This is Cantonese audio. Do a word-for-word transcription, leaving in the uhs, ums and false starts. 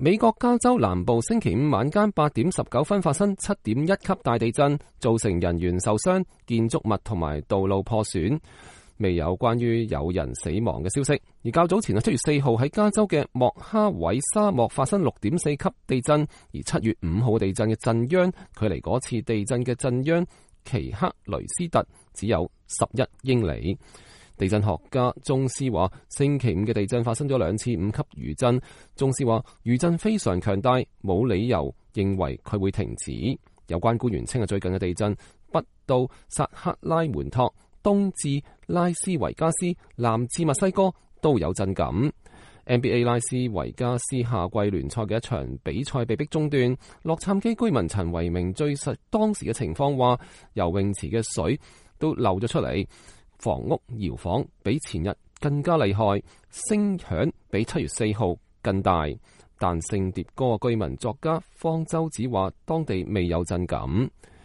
美國加州南部星期五晚間八點十九分發生七點一級大地震，造成人員受傷、建築物同埋道路破損，未有關於有人死亡嘅消息。而較早前啊，七月四號喺加州嘅莫哈韋沙漠發生六點四級地震，而七月五號地震嘅震央距離嗰次地震嘅震央奇克雷斯特只有十一英里。地震學家宗斯話，星期五嘅地震發生咗兩次五級餘震。宗斯話，餘震非常強大，冇理由認為佢會停止。有關官員稱啊，最近嘅地震北到薩克拉門托，東至拉斯維加斯，南至墨西哥都有震感。N B A 拉斯維加斯夏季聯賽嘅一場比賽被迫中斷。洛杉磯居民陳維明敘述當時嘅情況，話游泳池嘅水都漏咗出嚟。房屋搖晃比前日更加厲害，聲響比七月四號更大。但聖迭戈居民作家方舟子話，當地未有震感。